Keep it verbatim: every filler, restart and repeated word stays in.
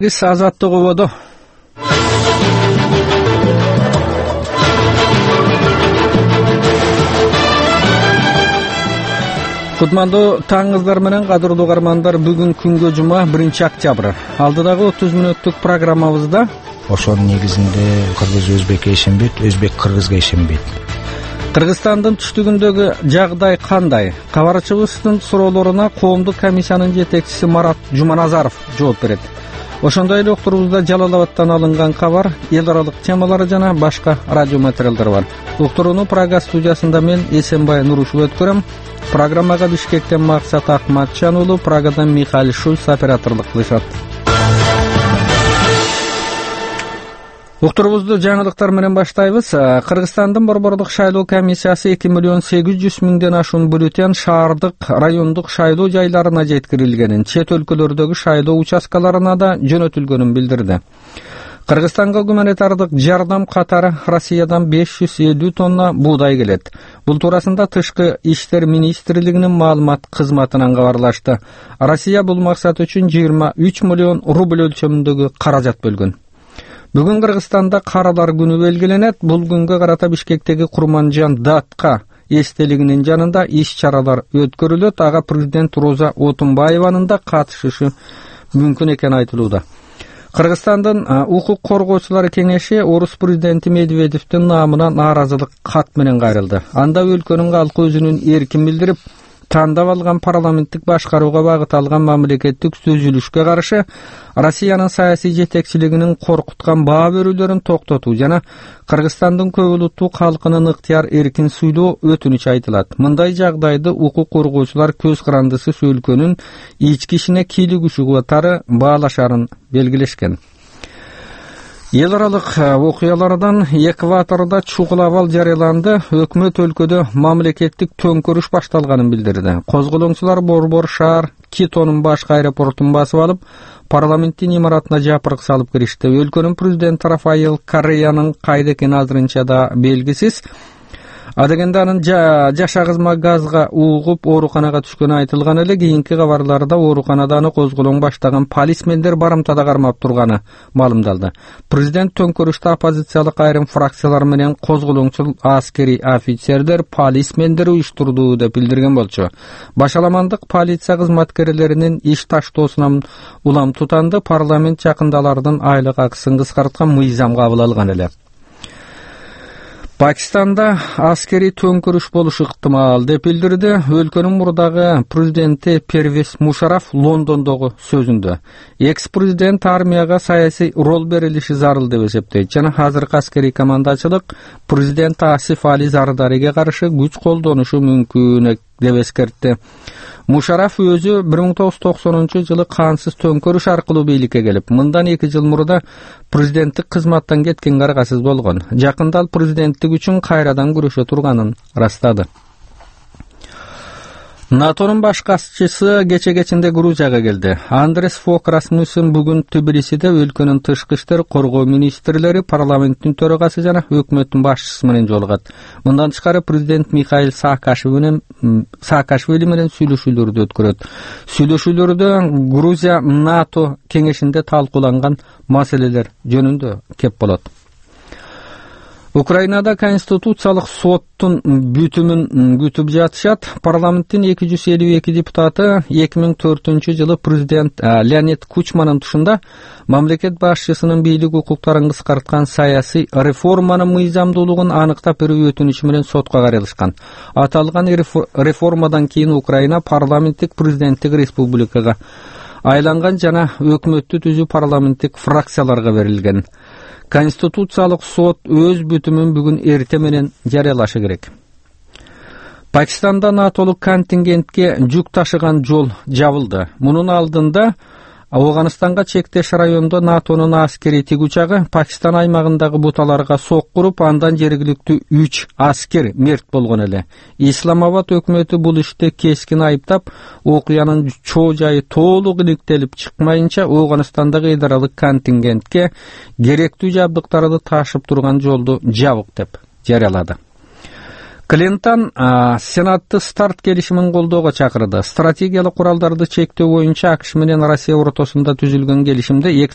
Биз азаттык убоду. Кутмандуу таңыңыздар менен кадырлуу угармандар, бүгүн күнгө жума биринчи октябрь. Алдыдагы отуз мүнөттүк программабызда ошонун негизинде кыргыз өзбекке ишенбейт, өзбек кыргызга ишенбейт. Кыргызстандын түштүгүндөгү жагдай кандай? Кабарчыбыздын суроолоруна коомдук комиссиянын жетекчиси Марат Жуманазаров жооп берет. Ошондой эле уктурубузда Жалал-Абадтан алынган кабар, эл аралык темалары жана башка радио материалдар бар. Уктурууну Прага студиясында мен Эсенбай Нурушев өткөрөм. Программага Бишкектен Максат Акматжан уулу, Прагадан Михаил Шульц операторлук кылышат. Уктурубузду жаңылыктар менен баштайбыз. Кыргызстандын Борбордук шайлоо комиссиясы эки миллион сегиз жүз миңден ашуун бюллетень шаардык, райондук шайлоо жайларына жеткирилгенин, чет өлкөлөрдөгү шайлоо участкаларына да жөнөтүлгөнүн билдирди. Кыргызстанга гуманитардык жардам катары Россиядан беш жүз элүү тонна буудай келет. Бул туурасында Тышкы иштер министрлигинин маалымат кызматынан кабарлашты. Россия бул максат үчүн жыйырма үч миллион рубль өлчөмүндөгү каражат бөлгөн. Бүгүн Кыргызстанда каралар күнү белгиленет. Бул күнгө карата Бишкектеги Курманжан Датка эстелигинин жанында иш-чаралар өткөрүлөт. Ага президент Роза Отунбаеванын да катышышы мүмкүн экени айтылууда. Кыргызстандын укук коргоочулар кеңеши орус президенти Медведевдин наамына нааразылык кат менен кайрылды. Анда өлкөнүн калкы өзүнүн эркин билдирип, тандап алган парламенттик башкарууга багыт алган мамлекеттик түзүлүшкө каршы Россиянын саясий жетекчилигинин коркуткан баа берүүлөрүн токтотуу жана Кыргызстандын көп улуттуу калкынын ыктыяр эркин сүйлөө өтүнүч айтылат. Мындай жагдайды укук коргоочулар көз карандысыз өлкөнүн ички ишине кийлигүүчү катары баалашарын белгилешкен. Эл аралык окуялардан Экватордо чугул абал жарыяланды. Өкмөт өлкөдө мамлекеттик төңкөрүш башталганын билдирди. Козголоңчулар Борбор шаар Китонун башкы аэропортун басып алып, парламенттин имаратына жапырык салып киришти. Өлкөнүн президенти Рафаэл Корреянын кайда экени азырынча да белгисиз. Адегенде анын жашагызма газга угуп ооруканага түшкөнү айтылган эле. Кийинки кабарларда ооруканада аны козголоң баштаган полисмендер барымтада кармап турганы маалымдалды. Президент төңкөрүштө оппозициялык айрым фракциялар менен козголоңчул аскери офицерлер полисмендер уюштурду деп билдирген болчу. Башаламандык полиция кызматкерлеринин иш таштоосунан улам тутанды. Парламент жакында алардын айлык акысын кыскарткан мыйзам кабыл алган эле. Пакистанда аскери төңкөрүш болушу ыктымал деп билдирди өлкөнүн мурдагы президенти Первез Мушараф Лондондогу сөзүндө. Экс-президент армияга саясий рол берилиши зарыл деп эсептейт жана азыркы аскери командачылык президент Асиф Али Зардариге каршы күч колдонушу мүмкүн деп эскертти. Мушараф өзү бир миң тогуз жүз токсонунчу жылы кансыз төңкөрүш аркылуу бийликке келип, мындан эки жыл мурда президенттик кызматтан кеткенге аргасыз болгон. Жакында ал президенттик үчүн кайрадан күрөшө турганын ырастады. НАТОнун баш катчысы кече кечинде Грузияга келди. Андрес Фок Расмуссен бүгүн Тбилисиде өлкөнүн тышкы иштер, коргоо министрлери, парламенттин төрагасы жана өкмөттүн башчысы менен жолугат. Мындан тышкары президент Михаил Саакашвили менен Саакашвили менен сүйлөшүүлөрдү өткөрөт. Сүйлөшүүлөрдө Грузия НАТО кеңешинде талкууланган маселелер жөнүндө кеп болот. Украинада конституциялык соттун бүтүмүн күтүп жатышат. Парламенттин эки жүз элүү эки депутаты эки миң төртүнчү жылы президент Леонид Кучманын тушунда мамлекет башчысынын бийлик укуктарын кыскарткан саясий реформанын мыйзамдуулугун аныктап берүү өтүнүчү менен сотко кайрылышкан. Аталган реформадан кийин Украина парламенттик президенттик республикага айланган жана өкмөттү түзүү парламенттик фракцияларга берилген. Конституциялык сот өз бүтүмүн бүгүн эрте менен жарыялашы керек. Пакистанда натолук контингентке жүк ташыган жол жабылды. Мунун алдында Афганистанга чектеш райондо НАТОнун аскери тигучагы Пакистан аймагындагы буталарга сок куруп, андан жергиликтүү үч аскер мерт болгон эле. Исламабад өкмөтү бул ишти кескин айыптап, окуянын чоо жайы толук иликтелип чыкмайынча Афганистандагы эл аралык контингентке керектүү жабдыктарды ташып турган жолду жабык деп жарыялады. Клинтон Сенатты старт келишимин колдоого чакырды. Стратегиялык куралдарды чектөө боюнча АКШ менен Россия ортосунда түзүлгөн келишимде эки